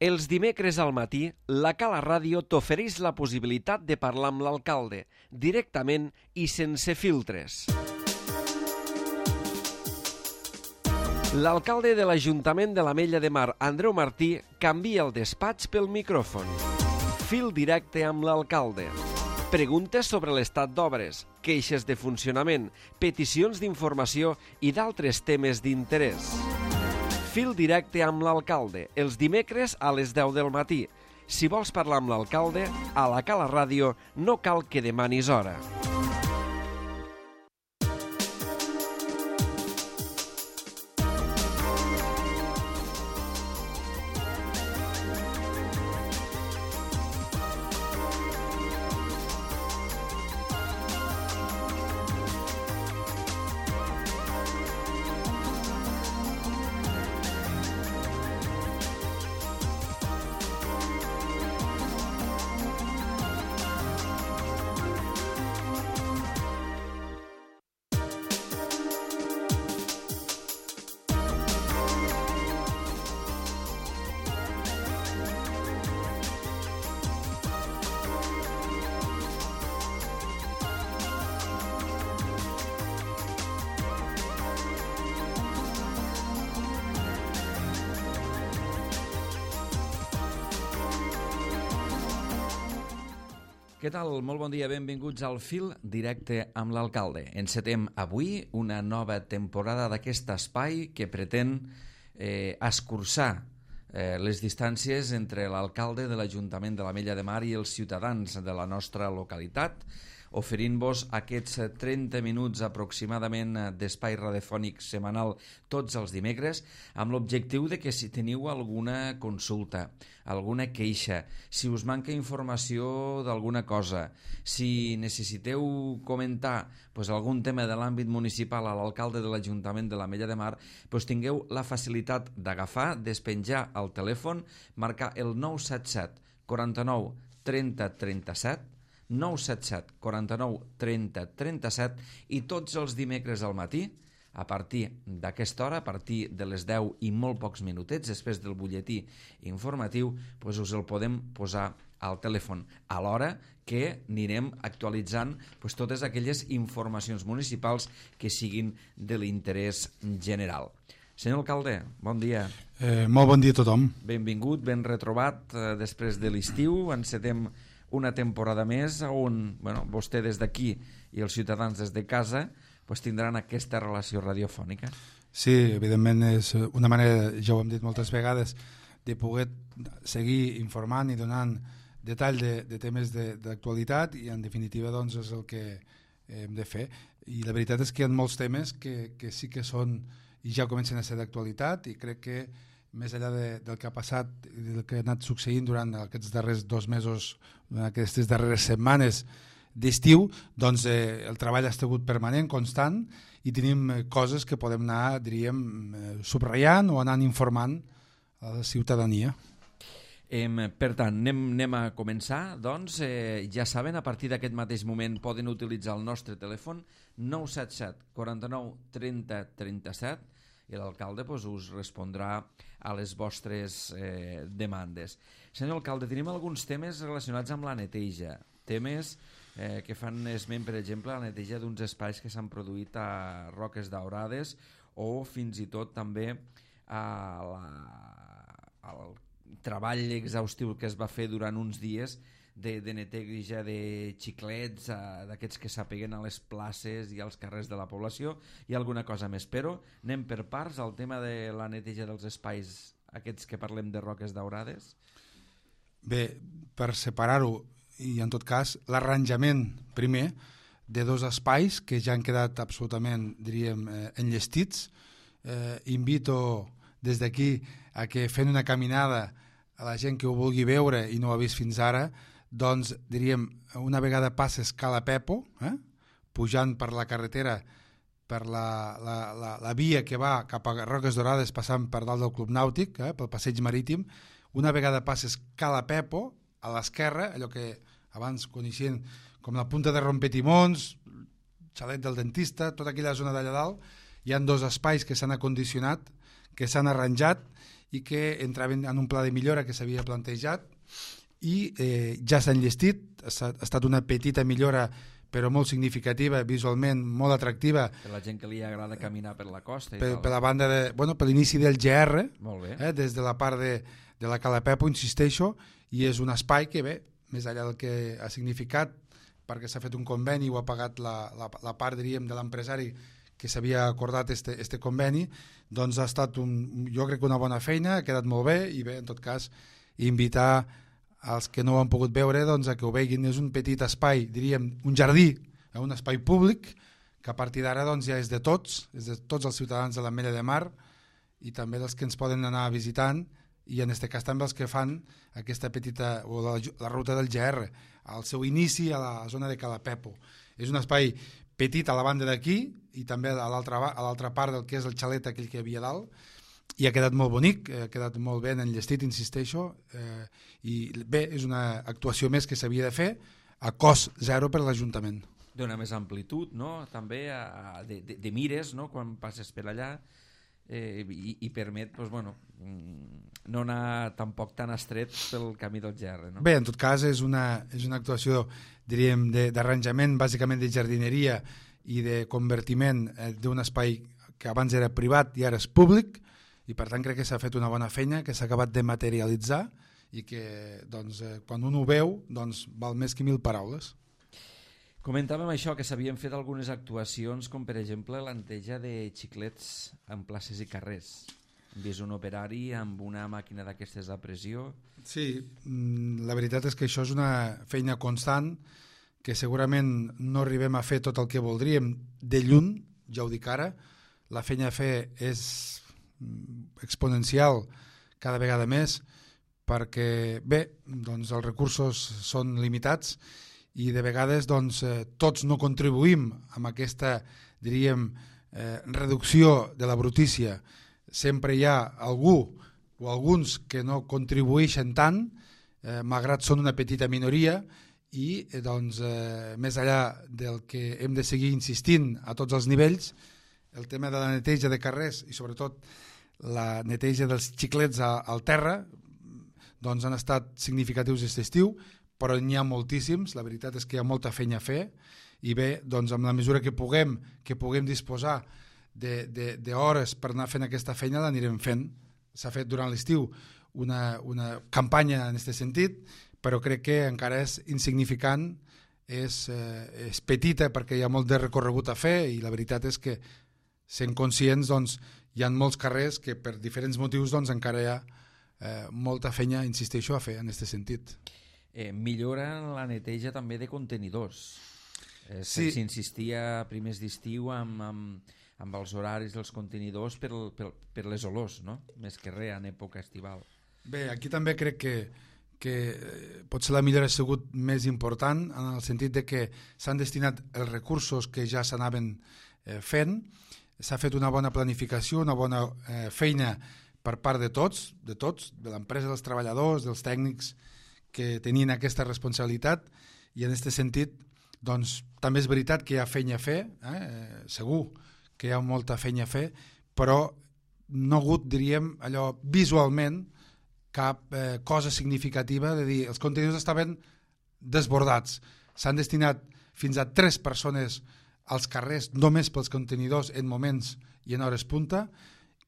Els dimecres al matí, la Cala Ràdio t'ofereix la possibilitat de parlar amb l'alcalde, directament i sense filtres. L'alcalde de l'Ajuntament de l'Ametlla de Mar, Andreu Martí, canvia el despatx pel micròfon. Fil directe amb l'alcalde. Preguntes sobre l'estat d'obres, queixes de funcionament, peticions d'informació i d'altres temes d'interès. Fil directe amb l'alcalde, els dimecres a les 10 del matí. Si vols parlar amb l'alcalde, a la Cala Ràdio no cal que demanis hora. Què tal? Molt bon dia, benvinguts al Fil directe amb l'alcalde. Encetem avui una nova temporada d'aquest espai que pretén escurçar les distàncies entre l'alcalde de l'Ajuntament de l'Ametlla de Mar i els ciutadans de la nostra localitat, oferint-vos aquests 30 minuts aproximadament d'espai radiofònic setmanal tots els dimecres, amb l'objectiu de que si teniu alguna consulta, alguna queixa, si us manca informació d'alguna cosa, si necessiteu comentar algun tema de l'àmbit municipal a l'alcalde de l'Ajuntament de l'Ametlla de Mar, tingueu la facilitat d'agafar, despenjar el telèfon, marcar el 977 49 30 37, 977 49 30 37 i tots els dimecres al matí, a partir d'aquesta hora, a partir de les 10 i molt pocs minutets, després del butlletí informatiu, us el podem posar al telèfon, a l'hora que anirem actualitzant totes aquelles informacions municipals que siguin de l'interès general. Senyor alcalde, bon dia. Molt bon dia a tothom. Benvingut, ben retrobat després de l'estiu. Encetem una temporada més on vostè des d'aquí i els ciutadans des de casa tindran aquesta relació radiofònica. Sí, evidentment és una manera, ja ho hem dit moltes vegades, de poder seguir informant i donant detall de temes d'actualitat i en definitiva doncs és el que hem de fer. I la veritat és que hi ha molts temes que sí que són i ja comencen a ser d'actualitat i crec que més enllà del que ha passat i del que ha anat succeint durant aquests darrers 2 mesos, durant aquestes darreres setmanes d'estiu, doncs el treball ha estat permanent, constant, i tenim coses que podem anar, diríem, subratllant o anant informant a la ciutadania. Per tant, anem a començar, doncs, ja saben, a partir d'aquest mateix moment poden utilitzar el nostre telèfon 977 49 30 37 i l'alcalde us respondrà a les vostres demandes. Senyor alcalde, tenim alguns temes relacionats amb la neteja, temes que fan esment, per exemple, a la neteja d'uns espais que s'han produït a Roques Daurades o fins i tot també al treball exhaustiu que es va fer durant uns dies de neteja de xiclets, d'aquests que s'apeguen a les places i als carrers de la població i alguna cosa més, però anem per parts al tema de la neteja dels espais aquests que parlem de Roques Daurades. Bé, per separar-ho i en tot cas l'arranjament primer de 2 espais que ja han quedat absolutament, diríem, enllestits. Invito des d'aquí a que fent una caminada a la gent que ho vulgui veure i no ho ha vist fins ara, doncs diríem, una vegada passes Cala Pepo, pujant per la carretera, per la via que va cap a Roques Daurades passant per dalt del Club Nàutic, pel passeig marítim, una vegada passes Cala Pepo, a l'esquerra, allò que abans coneixien com la punta de Rompetimons, xalet del dentista, tota aquella zona d'allà dalt, hi ha 2 espais que s'han acondicionat, que s'han arranjat i que entraven en un pla de millora que s'havia plantejat i ja s'ha enllestit, ha estat una petita millora però molt significativa, visualment molt atractiva. Per la gent que li agrada caminar per la costa i per, tal. per la banda de, per l'inici del GR, Molt bé. des de la part de la Cala Pepo, insisteixo, i és un espai que, bé, més enllà del que ha significat, perquè s'ha fet un conveni, ho ha pagat la part, diríem, de l'empresari que s'havia acordat este conveni, doncs ha estat, jo crec que una bona feina, ha quedat molt bé, i bé, en tot cas, invitar els que no ho han pogut veure doncs, a que ho veguin. És un petit espai, diríem, un jardí, un espai públic, que a partir d'ara doncs, ja és de tots els ciutadans de l'Ametlla de Mar i també dels que ens poden anar visitant i en aquest cas també els que fan aquesta petita, o la ruta del GR, al seu inici a la zona de Cala Pepo. És un espai petit a la banda d'aquí i també a l'altra part del que és el xalet aquell que hi havia dalt, i ha quedat molt bonic, ha quedat molt ben enllestit, insisteixo, i bé, és una actuació més que s'havia de fer a cost zero per l'Ajuntament. Dona més amplitud, no? També de mires, no? Quan passes per allà, i permet doncs, no anar tampoc tan estret pel camí del GR. No? Bé, en tot cas és una actuació, diríem, d'arranjament, bàsicament de jardineria i de convertiment d'un espai que abans era privat i ara és públic, i per tant crec que s'ha fet una bona feina, que s'ha acabat de materialitzar i que doncs, quan un ho veu doncs, val més que 1000 paraules. Comentàvem això, que s'havien fet algunes actuacions com per exemple la neteja de xiclets en places i carrers. Hem vist un operari amb una màquina d'aquestes a pressió. Sí, la veritat és que això és una feina constant que segurament no arribem a fer tot el que voldríem de lluny, ja ho dic ara. La feina a fer és exponencial cada vegada més perquè bé, doncs els recursos són limitats i de vegades doncs, tots no contribuïm amb aquesta, diríem, reducció de la brutícia. Sempre hi ha algú o alguns que no contribueixen tant, malgrat són una petita minoria, i doncs, més enllà del que hem de seguir insistint a tots els nivells, el tema de la neteja de carrers i sobretot la neteja dels xiclets al terra doncs han estat significatius aquest estiu, però n'hi ha moltíssims, la veritat és que hi ha molta feina a fer i bé, doncs amb la mesura que puguem disposar d'hores per anar fent aquesta feina l'anirem fent. S'ha fet durant l'estiu una campanya en aquest sentit, però crec que encara és insignificant, és petita perquè hi ha molt de recorregut a fer i la veritat és que sent conscients doncs, hi ha molts carrers que per diferents motius doncs, encara hi ha molta feina, insisteixo, a fer en aquest sentit. Millora la neteja també de contenidors. Sí. S'insistia a primers d'estiu amb els horaris dels contenidors per les olors, no? Més que res en època estival. Bé, aquí també crec que potser la millora ha sigut més important en el sentit de que s'han destinat els recursos que ja s'anaven fent, s'ha fet una bona planificació, una bona feina per part de tots, de l'empresa, dels treballadors, dels tècnics que tenien aquesta responsabilitat i en aquest sentit doncs, també és veritat que hi ha feina a fer, segur que hi ha molta feina a fer, però no ha hagut, diríem, allò visualment cap cosa significativa de dir els contenidors estaven desbordats. S'han destinat fins a 3 persones als carrers només pels contenidors en moments i en hores punta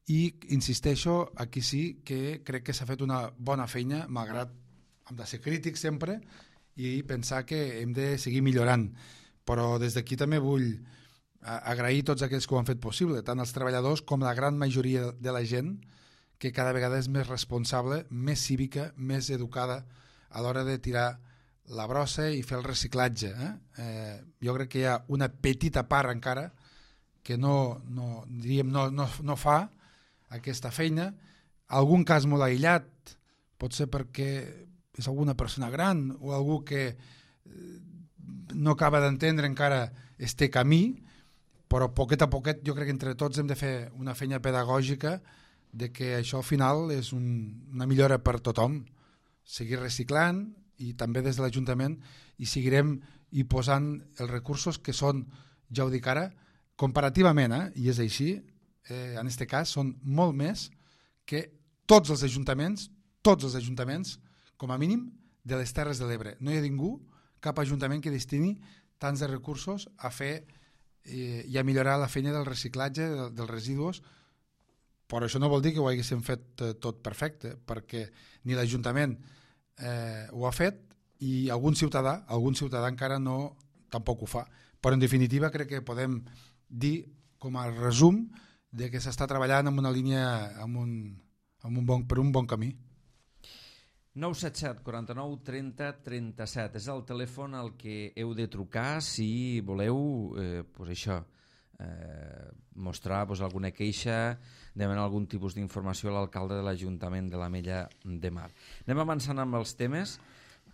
i insisteixo, aquí sí que crec que s'ha fet una bona feina, malgrat hem de ser crítics sempre i pensar que hem de seguir millorant. Però des d'aquí també vull agrair tots aquells que ho han fet possible, tant els treballadors com la gran majoria de la gent que cada vegada és més responsable, més cívica, més educada a l'hora de tirar la brossa i fer el reciclatge. Jo crec que hi ha una petita part encara que no fa aquesta feina. Algun cas molt aïllat, pot ser perquè és alguna persona gran o algú que no acaba d'entendre encara este camí, però poquet a poquet jo crec que entre tots hem de fer una feina pedagògica de que això al final és una millora per tothom. Seguir reciclant i també des de l'Ajuntament i seguirem hi posant els recursos que són, ja ho dic ara, comparativament, i és així, en aquest cas són molt més que tots els ajuntaments, com a mínim, de les Terres de l'Ebre. No hi ha ningú, cap ajuntament que destini tants de recursos a fer i a millorar la feina del reciclatge dels residus. Però això no vol dir que ho haguéssim fet tot perfecte, perquè ni l'Ajuntament ho ha fet i algun ciutadà encara tampoc ho fa. Però en definitiva crec que podem dir com a resum de que s'està treballant en una línia per un bon camí. 977 49 30 37 és el telèfon al que heu de trucar si voleu mostrar alguna queixa, demanar algun tipus d'informació a l'alcalde de l'Ajuntament de l'Ametlla de Mar. Anem avançant amb els temes.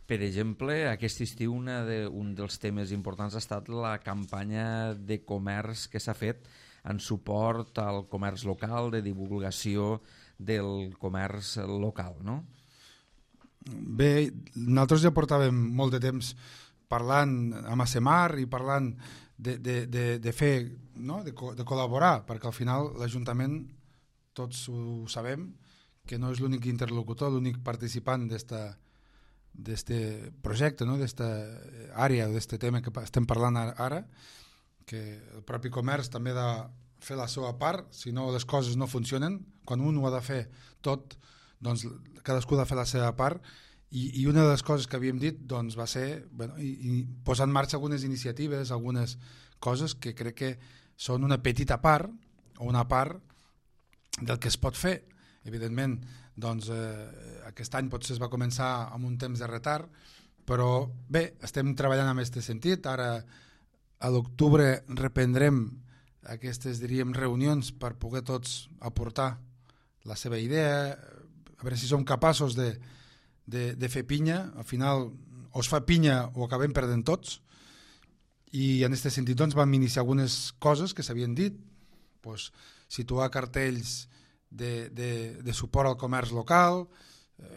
Per exemple, aquest estiu un dels temes importants ha estat la campanya de comerç que s'ha fet en suport al comerç local, de divulgació del comerç local, no? Bé, nosaltres ja portàvem molt de temps parlant amb ASEMAR i parlant de fer, no? de col·laborar, perquè al final l'Ajuntament, tots ho sabem, que no és l'únic interlocutor, l'únic participant d'este projecte, no? d'esta àrea, d'este tema que estem parlant ara, que el propi comerç també ha de fer la seva part, si no les coses no funcionen, quan un ho ha de fer tot, doncs cadascú ha de fer la seva part, i una de les coses que havíem dit doncs, va ser posar en marxa algunes iniciatives, algunes coses que crec que són una petita part o una part del que es pot fer. Evidentment, doncs, aquest any potser es va començar amb un temps de retard, però bé, estem treballant en aquest sentit. Ara a l'octubre reprendrem aquestes, diríem, reunions per poder tots aportar la seva idea, a veure si som capaços de fer pinya. Al final o es fa pinya o acabem perdent tots, i en aquest sentit doncs, vam iniciar algunes coses que s'havien dit, doncs, situar cartells de suport al comerç local,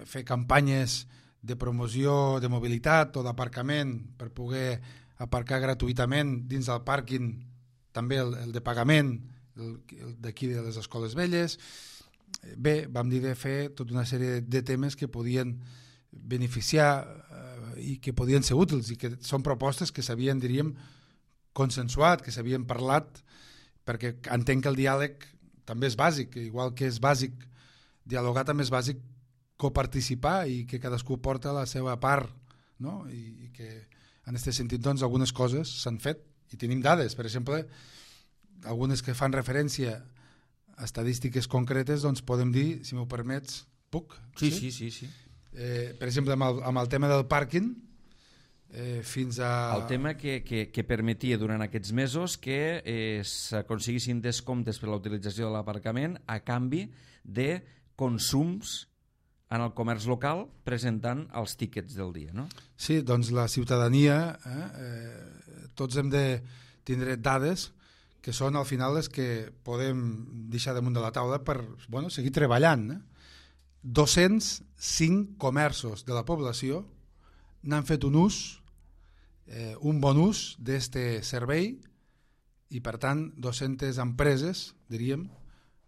fer campanyes de promoció de mobilitat o d'aparcament per poder aparcar gratuïtament dins del pàrquing, també el de pagament, el d'aquí de les escoles velles. Bé, vam dir de fer tota una sèrie de temes que podien beneficiar i que podien ser útils, i que són propostes que s'havien, diríem, consensuat, que s'havien parlat, perquè entenc que el diàleg també és bàsic, igual que és bàsic dialogar, també és bàsic coparticipar i que cadascú porta la seva part, no? I que en aquest sentit doncs, algunes coses s'han fet i tenim dades, per exemple, algunes que fan referència a estadístiques concretes, doncs podem dir, si m'ho permets, puc? Sí. Per exemple, amb el tema del pàrquing, fins a... El tema que permetia durant aquests mesos que s'aconseguissin descomptes per la utilització de l'aparcament a canvi de consums en el comerç local presentant els tíquets del dia, no? Sí, doncs la ciutadania, tots hem de tindre dades que són al final les que podem deixar damunt de la taula per seguir treballant. 205 comerços de la població n'han fet un bon ús d'este servei, i per tant 200 empreses, diríem,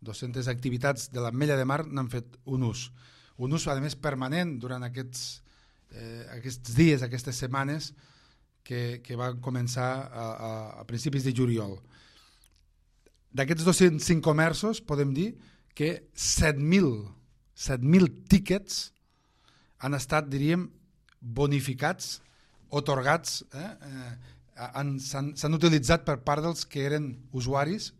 200 activitats de l'Ametlla de Mar n'han fet un ús, a més permanent durant aquests dies, aquestes setmanes que van començar a principis de juliol. D'aquests 205 comerços podem dir que 7.000 tíquets han estat, diríem, bonificats, otorgats, s'han utilitzat per part dels que érem usuaris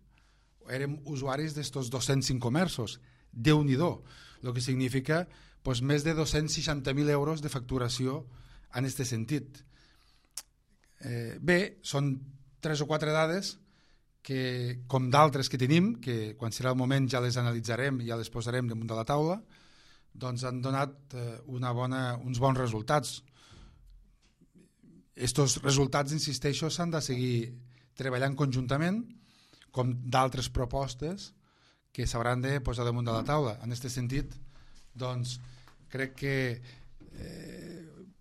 d'estos 205 comerços. Déu-n'hi-do, el que significa més de 260.000 euros de facturació en aquest sentit. Bé, són 3 o 4 dades que, com d'altres que tenim, que quan serà el moment ja les analitzarem i ja les posarem damunt de la taula, doncs han donat uns bons resultats. Estos resultats, insisteixo, s'han de seguir treballant conjuntament, com d'altres propostes que s'hauran de posar damunt de la taula. En aquest sentit, doncs, crec que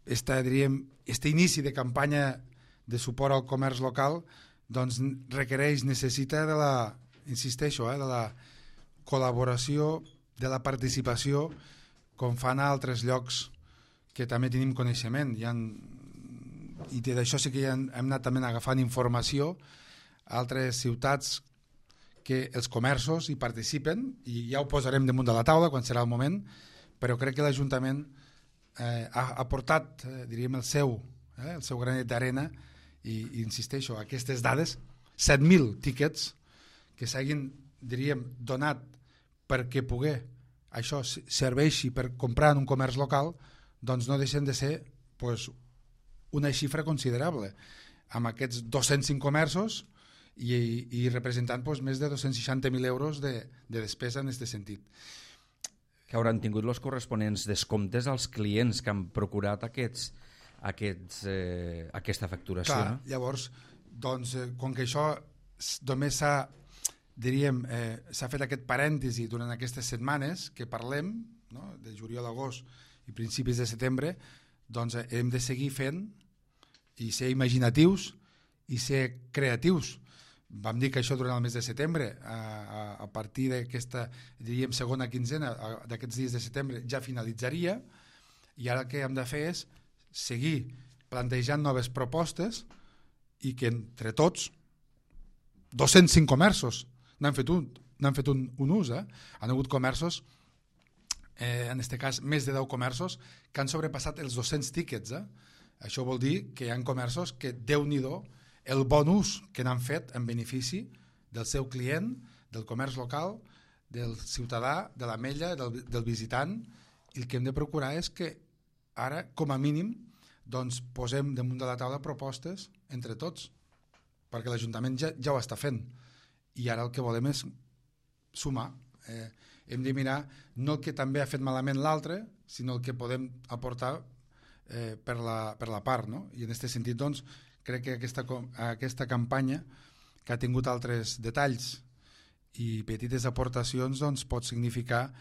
este inici de campanya de suport al comerç local doncs necessita de la col·laboració de la participació com fan a altres llocs que també tenim coneixement. I d'això sí que ja hem anat també agafant informació a altres ciutats que els comerços hi participen, i ja ho posarem damunt de la taula quan serà el moment, però crec que l'Ajuntament ha portat, diríem, el seu granet d'arena, i insisteixo, aquestes dades, 7.000 tíquets que s'hagin, diríem, donat perquè poder això serveixi per comprar en un comerç local, doncs no deixen de ser una xifra considerable, amb aquests 205 comerços i representant més de 260.000 euros de despesa en aquest sentit. Que hauran tingut els corresponents descomptes als clients que han procurat aquesta facturació. Clar, no? Llavors, doncs, com que això només s'ha fet aquest parèntesi durant aquestes setmanes que parlem, no? De juliol a agost i principis de setembre, doncs hem de seguir fent i ser imaginatius i ser creatius. Vam dir que això durant el mes de setembre, a partir d'aquesta, diríem, segona quinzena d'aquests dies de setembre ja finalitzaria, i ara el que hem de fer és seguir plantejant noves propostes i que entre tots 205 comerços n'han fet un ús. Han hagut comerços, en aquest cas més de 10 comerços, que han sobrepassat els 200 tíquets. Això vol dir que hi ha comerços que, Déu-n'hi-do, el bon ús que n'han fet en benefici del seu client, del comerç local, del ciutadà, de l'ametlla, del visitant, i el que hem de procurar és que ara, com a mínim, doncs posem damunt de la taula propostes entre tots, perquè l'Ajuntament ja ho està fent, i ara el que volem és sumar. Hem de mirar no el que també ha fet malament l'altre, sinó el que podem aportar per la part, no? I en aquest sentit, doncs, crec que aquesta campanya, que ha tingut altres detalls i petites aportacions, doncs, pot significar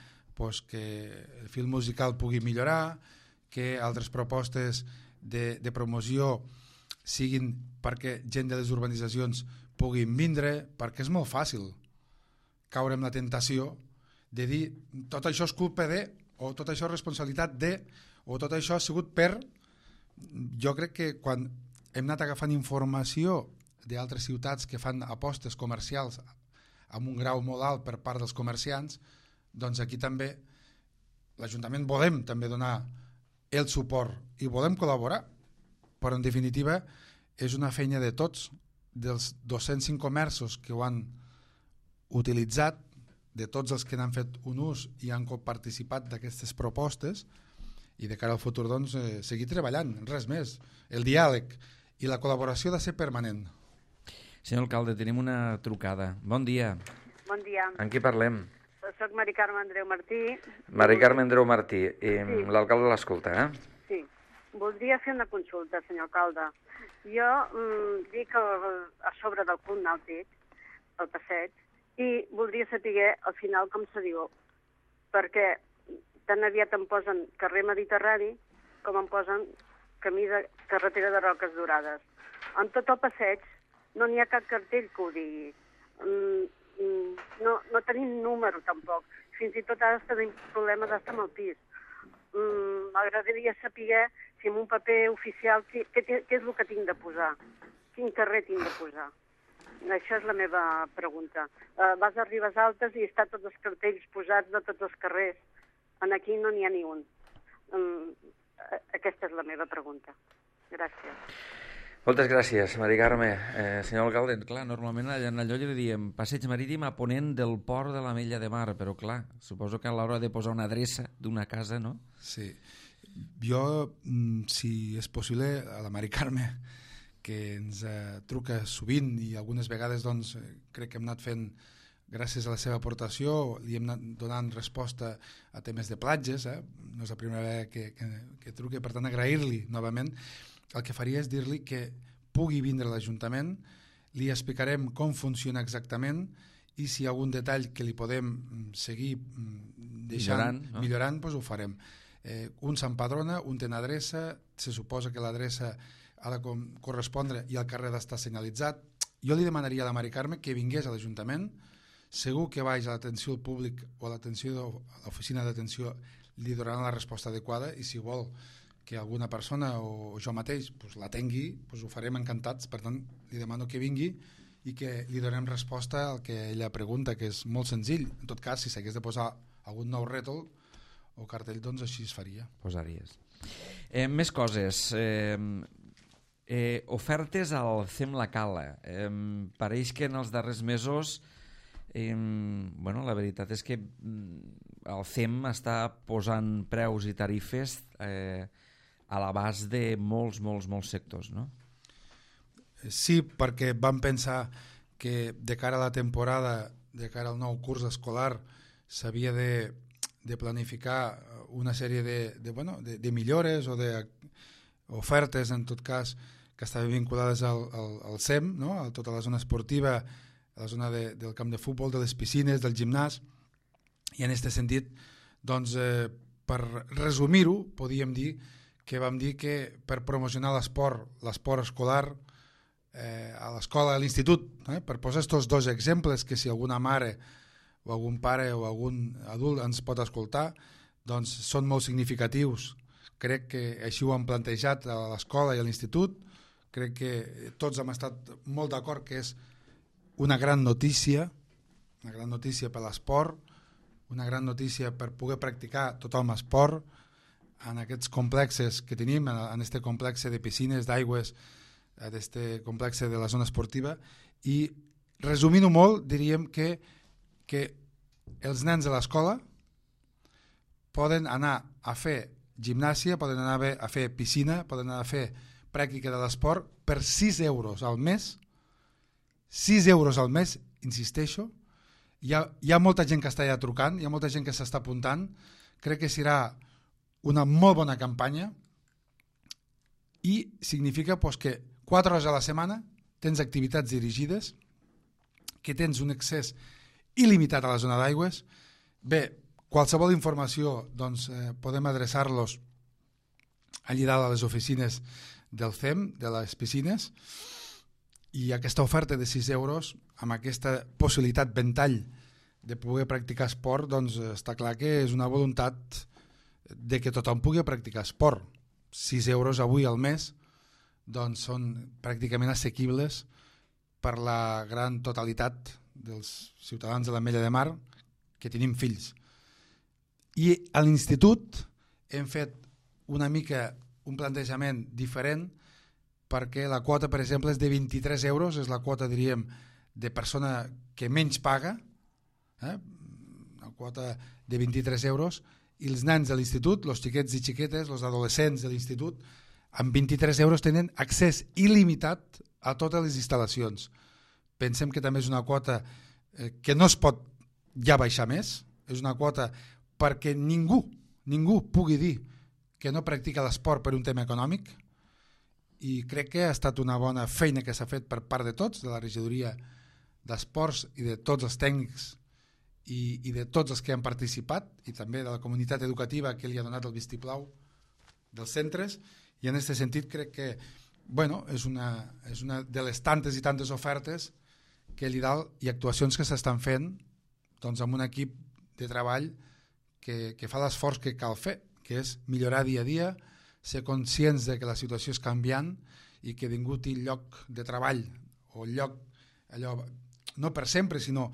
que el fil musical pugui millorar, que altres propostes de promoció siguin perquè gent de les urbanitzacions puguin vindre, perquè és molt fàcil caure en la tentació de dir tot això és culpa de, o tot això és responsabilitat de, o tot això ha sigut per... Jo crec que quan hem anat agafant informació d'altres ciutats que fan apostes comercials amb un grau molt alt per part dels comerciants, doncs aquí també l'Ajuntament volem també donar el suport i volem col·laborar, però en definitiva és una feina de tots, dels 205 comerços que ho han utilitzat, de tots els que n'han fet un ús i han participat d'aquestes propostes, i de cara al futur doncs seguir treballant, res més. El diàleg i la col·laboració ha de ser permanent. Senyor alcalde, tenim una trucada. Bon dia. Bon dia. En qui parlem? Soc Mari Carme Andreu Martí. Mari Carme Andreu Martí. Sí. L'alcalde l'escolta, Sí. Voldria fer una consulta, senyor alcalde. Jo dic a sobre del Club Nàutic, al passeig, i voldria saber al final com se diu, perquè tan aviat em posen carrer Mediterrani com em posen camí de carretera de Roques Dorades. En tot el passeig no n'hi ha cap cartell que ho digui. No tenim número tampoc. Fins i tot ara tenim problemes d'estar amb el pis. M'agradaria saber si en un paper oficial què és el que tinc de posar, quin carrer tinc de posar. Això és la meva pregunta. Vas a Ribes Altes i està tots els cartells posats de tots els carrers. Aquí no n'hi ha ni un. Aquesta és la meva pregunta. Gràcies. Moltes gràcies, Mari Carme. Senyor alcalde, clar, normalment en allò li diem passeig marítim a ponent del port de l'Ametlla de Mar, però clar, suposo que a l'hora de posar una adreça d'una casa, no? Sí. Jo, si és possible, a la Mari Carme, que ens truca sovint i algunes vegades doncs, crec que hem anat fent, gràcies a la seva aportació, li hem anat donant resposta a temes de platges, no és la primera vegada que truca, per tant agrair-li novament. El que faria és dir-li que pugui vindre a l'Ajuntament, li explicarem com funciona exactament i si hi ha algun detall que li podem seguir millorant, doncs ho farem. Un s'empadrona, un té una adreça, se suposa que l'adreça ha de correspondre i el carrer ha d'estar senyalitzat. Jo li demanaria a la Mari Carme que vingués a l'Ajuntament, segur que vaig a l'atenció al públic o a l'oficina d'atenció li donaran la resposta adequada, i si vol que alguna persona o jo mateix l'atengui, ho farem encantats. Per tant, li demano que vingui i que li donem resposta al que ella pregunta, que és molt senzill. En tot cas, si s'hagués de posar algun nou rètol o cartell, doncs així es faria. Posaries. Més coses. Ofertes al CEM La Cala. Pareix que en els darrers mesos la veritat és que el CEM està posant preus i tarifes a l'abast de molts sectors, no? Sí, perquè vam pensar que de cara a la temporada, de cara al nou curs escolar, s'havia de planificar una sèrie de millores o d'ofertes, en tot cas, que estaven vinculades al CEM, no? A tota la zona esportiva, a la zona del camp de futbol, de les piscines, del gimnàs, i en aquest sentit, doncs, per resumir-ho, podíem dir que vam dir que per promocionar l'esport escolar a l'escola, a l'institut, per posar aquests dos exemples, que si alguna mare o algun pare o algun adult ens pot escoltar, doncs són molt significatius. Crec que així ho han plantejat a l'escola i a l'institut. Crec que tots hem estat molt d'acord que és una gran notícia per l'esport, una gran notícia per poder practicar tothom esport en aquests complexes que tenim, en aquest complex de piscines, d'aigües, en aquest complex de la zona esportiva. I resumint-ho molt, diríem que els nens de l'escola poden anar a fer gimnàsia, poden anar a fer piscina, poden anar a fer pràctica de l'esport per 6 euros al mes. 6 euros al mes, insisteixo. Hi ha molta gent que està ja trucant, hi ha molta gent que s'està apuntant. Crec que serà una molt bona campanya i significa que 4 hores a la setmana tens activitats dirigides, que tens un accés il·limitat a la zona d'aigües. Bé, qualsevol informació doncs, podem adreçar-los allà dalt a les oficines del CEM, de les piscines, i aquesta oferta de 6 euros, amb aquesta possibilitat ventall de poder practicar esport, doncs està clar que és una voluntat de que tothom pugui practicar esport. 6 euros avui al mes doncs són pràcticament assequibles per la gran totalitat dels ciutadans de l'Ametlla de Mar que tenim fills. I a l'institut hem fet una mica un plantejament diferent, perquè la quota, per exemple, és de 23 euros, és la quota, diríem, de persona que menys paga, una quota de 23 euros, i els nens de l'institut, els xiquets i xiquetes, els adolescents de l'institut, amb 23 euros tenen accés il·limitat a totes les instal·lacions. Pensem que també és una quota que no es pot ja baixar més, és una quota perquè ningú pugui dir que no practica l'esport per un tema econòmic, i crec que ha estat una bona feina que s'ha fet per part de tots, de la regidoria d'esports i de tots els tècnics i de tots els que han participat, i també de la comunitat educativa que li ha donat el vistiplau dels centres, i en aquest sentit crec que és una de les tantes i tantes ofertes que allà dalt i actuacions que s'estan fent doncs, amb un equip de treball que fa l'esforç que cal fer, que és millorar dia a dia, ser conscients de que la situació és canviant i que ningú té lloc de treball o lloc allò, no per sempre, sinó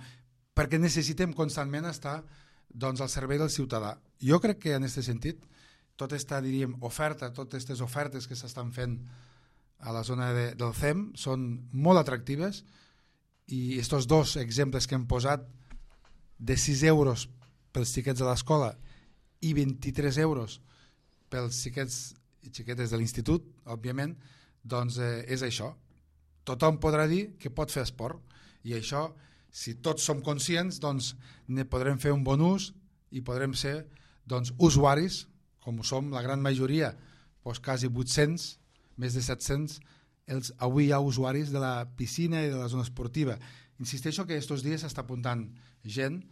perquè necessitem constantment estar doncs, al servei del ciutadà. Jo crec que en aquest sentit tota aquesta, diríem, oferta, totes aquestes ofertes que s'estan fent a la zona del CEM són molt atractives, i aquests dos exemples que hem posat de 6 euros pels xiquets de l'escola i 23 euros pels xiquets i xiquetes de l'institut, òbviament, doncs és això. Tothom podrà dir que pot fer esport, i això, si tots som conscients, doncs ne podrem fer un bon ús i podrem ser doncs, usuaris, com ho som la gran majoria, doncs quasi 800, més de 700, avui hi ha usuaris de la piscina i de la zona esportiva. Insisteixo que aquests dies s'està apuntant gent,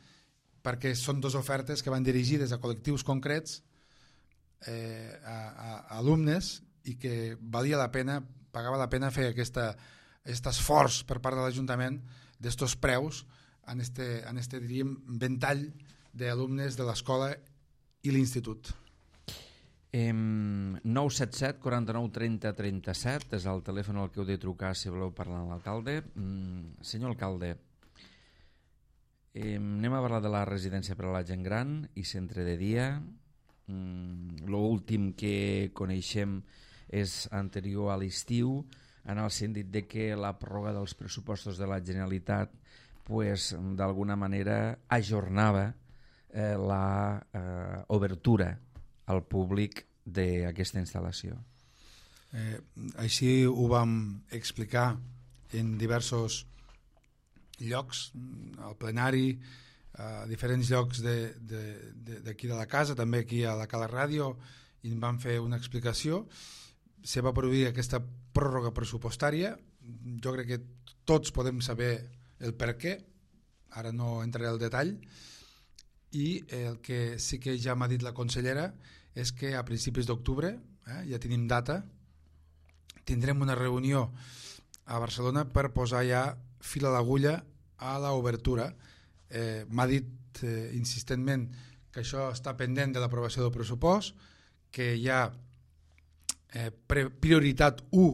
perquè són dues ofertes que van dirigides a col·lectius concrets, a alumnes, i que valia la pena, pagava la pena fer aquest esforç per part de l'Ajuntament d'estos preus en este diríem, ventall d'alumnes de l'escola i l'institut. 977 49 30 37 és el telèfon al que heu de trucar si voleu parlar amb l'alcalde. Senyor alcalde, anem a parlar de la residència per a la gent gran i centre de dia. L'últim que coneixem és anterior a l'estiu, en el sentit de que la pròrroga dels pressupostos de la Generalitat pues, d'alguna manera ajornava la obertura al públic d'aquesta instal·lació. Així ho vam explicar en diversos llocs, al plenari, a diferents llocs d'aquí de la casa, també aquí a la Cala Ràdio, i en vam fer una explicació. Se va produir aquesta pròrroga pressupostària. Jo crec que tots podem saber el per què, ara no entraré al detall, i el que sí que ja m'ha dit la consellera és que a principis d'octubre, ja tenim data, tindrem una reunió a Barcelona per posar ja fil a l'agulla a l'obertura. M'ha dit insistentment que això està pendent de l'aprovació del pressupost, que hi ha prioritat 1,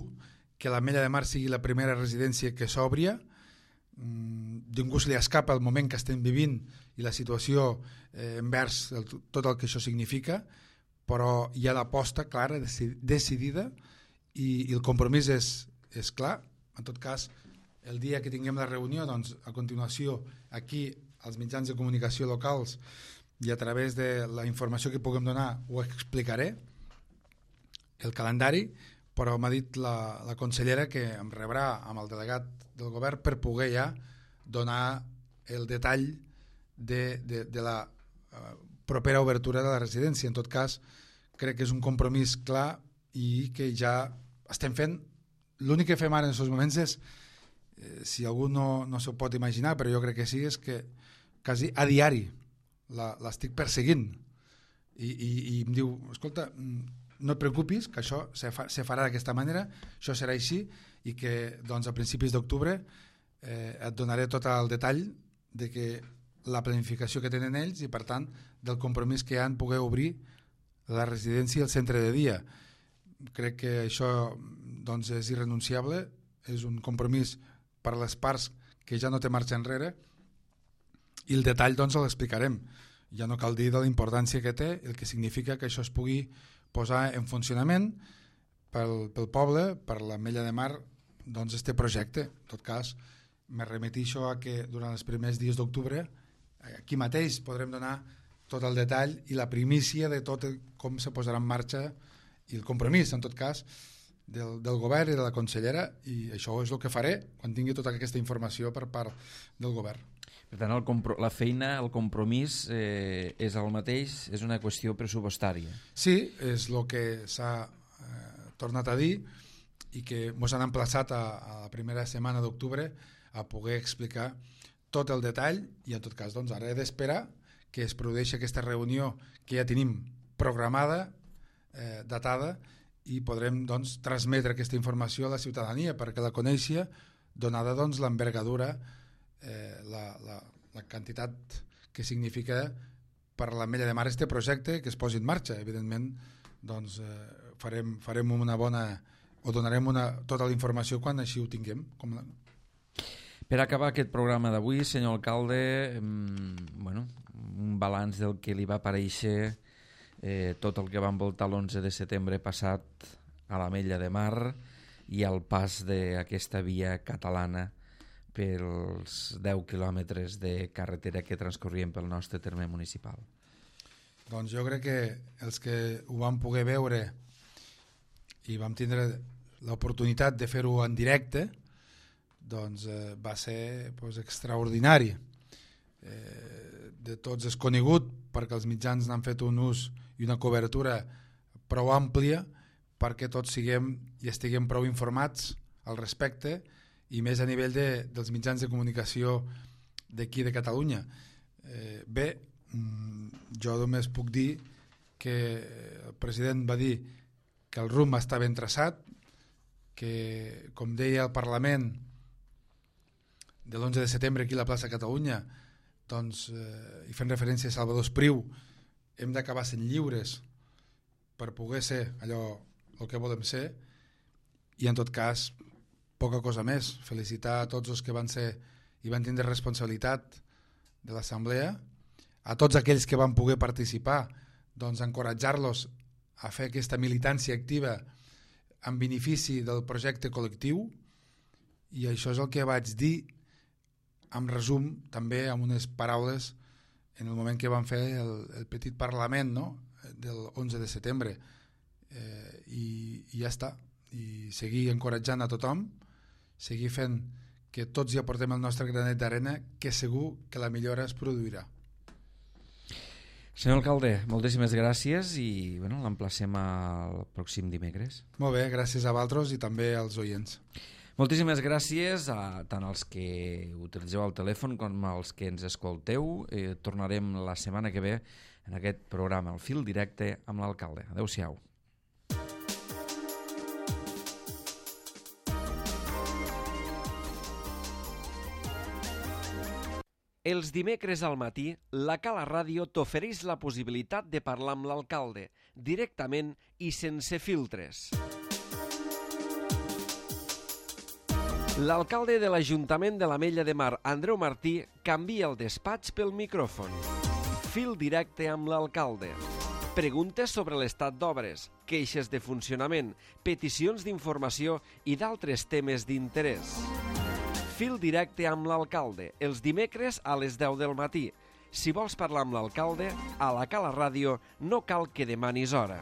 que l'Ametlla de Mar sigui la primera residència que s'obria. Ningú se li escapa el moment que estem vivint i la situació envers tot el que això significa, però hi ha l'aposta clara, decidida, i el compromís és clar. En tot cas, el dia que tinguem la reunió, doncs, a continuació, aquí, als mitjans de comunicació locals i a través de la informació que puguem donar, ho explicaré, el calendari, però m'ha dit la consellera que em rebrà amb el delegat del govern per poder ja donar el detall de la propera obertura de la residència. En tot cas, crec que és un compromís clar i que ja estem fent. L'únic que fem ara en aquests moments és, si algú no s'ho pot imaginar, però jo crec que sí, és que quasi a diari l'estic perseguint i em diu, escolta, no et preocupis, que això se farà d'aquesta manera, això serà així, i que doncs, a principis d'octubre et donaré tot el detall de que la planificació que tenen ells i, per tant, del compromís que hi ha en poder obrir la residència i el centre de dia. Crec que això doncs, és irrenunciable, és un compromís per a les parts que ja no té marxa enrere, i el detall doncs, l'explicarem. Ja no cal dir de la importància que té, el que significa que això es pugui posar en funcionament pel poble, per l'Ametlla de Mar, doncs este projecte. En tot cas, me remetixo a que durant els primers dies d'octubre aquí mateix podrem donar tot el detall i la primícia de tot com se posarà en marxa i el compromís, en tot cas, del govern i de la consellera, i això és el que faré quan tingui tota aquesta informació per part del govern. Per tant, la feina, el compromís és el mateix, és una qüestió pressupostària. Sí, és el que s'ha tornat a dir i que ens han emplaçat a la primera setmana d'octubre a poder explicar tot el detall, i en tot cas doncs, ara he d'esperar que es produeixi aquesta reunió que ja tenim programada, datada, i podrem doncs, transmetre aquesta informació a la ciutadania perquè la coneixi, donada doncs, l'envergadura, la quantitat que significa per l'Ametlla de Mar este projecte que es posi en marxa. Evidentment doncs, farem una bona, o donarem tota la informació quan així ho tinguem. Per acabar aquest programa d'avui, senyor alcalde, un balanç del que li va aparèixer tot el que va envoltar l'11 de setembre passat a l'Ametlla de Mar i al pas d'aquesta via catalana pels 10 quilòmetres de carretera que transcorrien pel nostre terme municipal. Doncs jo crec que els que ho vam poder veure i vam tindre l'oportunitat de fer-ho en directe, doncs va ser extraordinari. De tots és conegut perquè els mitjans n'han fet un ús i una cobertura prou àmplia perquè tots siguem i estiguem prou informats al respecte, i més a nivell dels mitjans de comunicació d'aquí de Catalunya. Bé, jo només puc dir que el president va dir que el rumb està ben traçat, que, com deia el Parlament, de l'11 de setembre aquí a la plaça Catalunya, doncs, i fent referència a Salvador Espriu, hem d'acabar sent lliures per poder ser allò el que volem ser, i en tot cas poca cosa més. Felicitar a tots els que van ser i van tindre responsabilitat de l'assemblea, a tots aquells que van poder participar, doncs encoratjar-los a fer aquesta militància activa en benefici del projecte col·lectiu, i això és el que vaig dir en resum també amb unes paraules en el moment que van fer el petit parlament, no? Del 11 de setembre, i ja està, i seguir encoratjant a tothom, seguir fent que tots hi aportem el nostre granet d'arena, que segur que la millora es produirà. Senyor alcalde, moltíssimes gràcies i bueno, l'emplacem al pròxim dimecres. Molt bé, gràcies a vosaltres i també als oients. Moltíssimes gràcies a tant als que utilitzeu el telèfon com als que ens escolteu. Tornarem la setmana que ve en aquest programa, El Fil Directe amb l'alcalde. Adéu-siau. Els dimecres al matí, la Cala Ràdio t'ofereix la possibilitat de parlar amb l'alcalde, directament i sense filtres. L'alcalde de l'Ajuntament de l'Ametlla de Mar, Andreu Martí, canvia el despatx pel micròfon. Fil directe amb l'alcalde. Preguntes sobre l'estat d'obres, queixes de funcionament, peticions d'informació i d'altres temes d'interès. Fil directe amb l'alcalde, els dimecres a les 10 del matí. Si vols parlar amb l'alcalde, a la Cala Ràdio no cal que demanis hora.